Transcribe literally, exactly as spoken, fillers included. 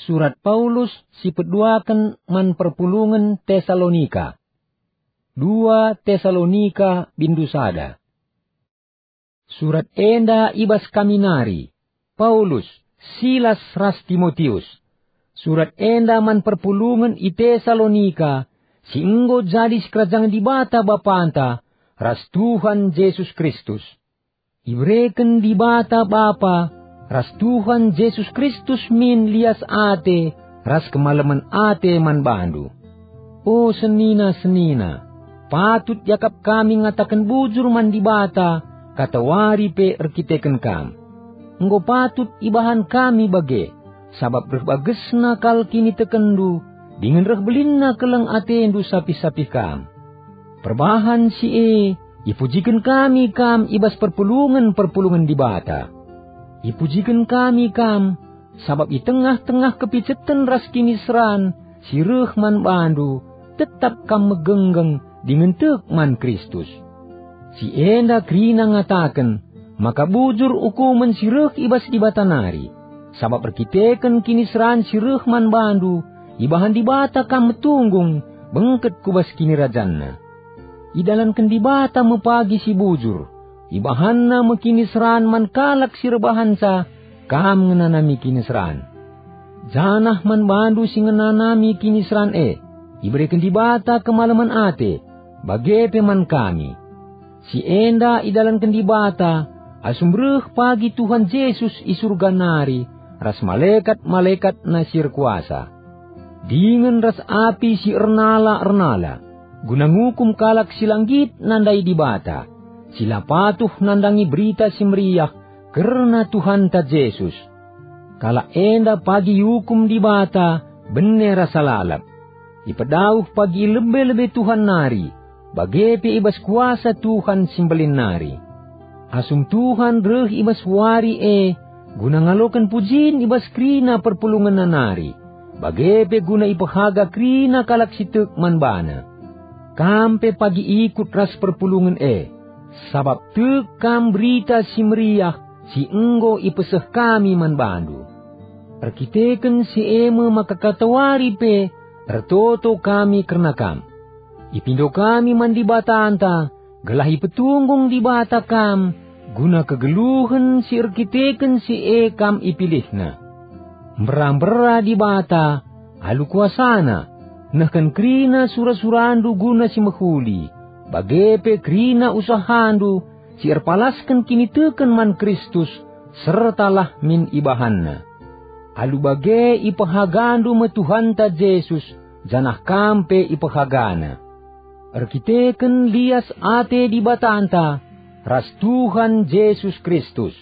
Surat Paulus si peduaken man perpulungen Tesalonika. Dua Tesalonika bindu sada. Surat enda i bas kami nari, Paulus, Silas ras Timotius. Surat enda man perpulungen i Tesalonika, si enggo jadi sikerajangen Dibata Bapanta ras Tuhan Jesus Kristus. Ibereken Dibata Bapa ras Tuhan Jesus Kristus min lias ate ras kemalemen ate man bandu. O senina-senina, patut iakap kami ngataken bujur man Dibata katawari pe erkiteken kam. Enggo patut ibahan kami bage, sabap reh bagesna kal kinitekenndu, dingen reh belinna keleng atendu sapih-sapih kam. Perbahan si e, ipujiken kami kam i bas perpulungen-perpulungen Dibata. Ipujiken kami kam, sabap i tengah-tengah kepiceten ras kiniseran si reh man bandu, tetap kam megenggeng dingen tek man Kristus. Si enda kerina ngataken maka bujur ukumen si reh i bas Dibata nari, sabap erkiteken kiniseran si reh man bandu, ibahan Dibata kam metunggung bengket ku bas kinirajanNa. Idalanken Dibata me pagi si bujur, ibahanNa me kiniseran man kalak si erbahanca kam ngenanami kiniseran. Janah man bandu si ngenanami kiniseran e, ibereken Dibata kemalemen ate, bage pe man kami. Si enda idalanken Dibata asum reh pagi Tuhan Jesus i Surga nari ras malekat-malekatNa si erkuasa. Dingen ras api si ernala-ernala, guna ngukum kalak si la nggit nandai Dibata, si la patuh nandangi Berita Si Meriah kerna Tuhanta Jesus. Kalak enda pagi iukum Dibata bene rasa lalap. Ipedauh pagi i lebe-lebe Tuhan nari, bage pe i bas kuasa Tuhan si Mbelin nari. Asum Tuhan reh i bas wari e guna ngaloken pujin i bas kerina perpulungenNa nari, bage pe guna ipehaga kerina kalak si tek man baNa. Kam pe pagi ikut ras perpulungen e, sabap tek kam Berita Si Meriah si enggo ipeseh kami man bandu. Erkiteken si e me maka katawari pe ertoto kami kerna kam. Ipindo kami man Dibatanta, gelah ipetunggung Dibata kam guna kegeluhen si erkiteken si e kam ipilihNa. Mbera-mbera Dibata alu kuasaNa, nehken kerina sura-surandu guna si mehuli, bage pe kerina usahandu si erpalasken kiniteken man Kristus, serta lah min ibahanNa. Alu bage ipehagandu me Tuhanta Jesus, janah kam pe ipehagaNa. Erkiteken lias ate Dibatanta ras Tuhan Jesus Kristus.